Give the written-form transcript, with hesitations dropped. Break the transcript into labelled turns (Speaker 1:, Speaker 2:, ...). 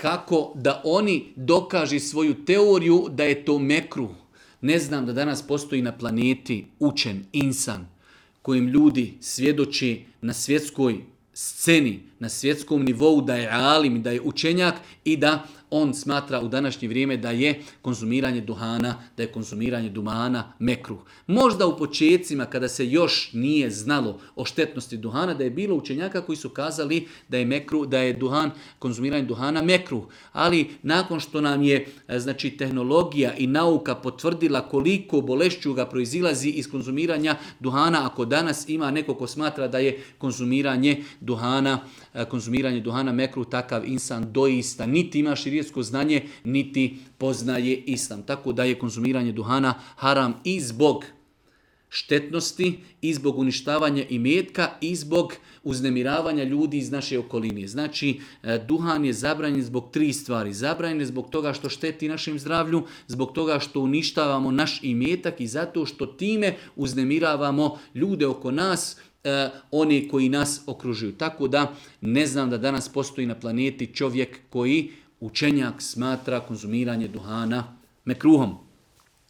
Speaker 1: kako da oni dokaži svoju teoriju da je to mekruh. Ne znam da danas postoji na planeti učen insan kojim ljudi svjedoči na svjetskoj sceni, na svjetskom nivou da je alim, da je učenjak i da on smatra u današnje vrijeme da je konzumiranje duhana mekruh. Možda u počecima kada se još nije znalo o štetnosti duhana, da je bilo učenjaka koji su kazali da je mekruh, da je konzumiranje duhana mekruh. Ali nakon što nam je tehnologija i nauka potvrdila koliko bolešćuga proizilazi iz konzumiranja duhana, ako danas ima neko ko smatra da je konzumiranje duhana mekruh, takav insan doista niti ima širijetsko znanje, niti poznaje islam. Tako da je konzumiranje duhana haram i zbog štetnosti, i zbog uništavanja imetka, i zbog uznemiravanja ljudi iz naše okoline. Znači, duhan je zabranjen zbog 3 stvari. Zabranjen je zbog toga što šteti našem zdravlju, zbog toga što uništavamo naš imetak i zato što time uznemiravamo ljude oko nas, oni koji nas okružuju. Tako da ne znam da danas postoji na planeti čovjek koji učenjak smatra konzumiranje duhana mekruhom.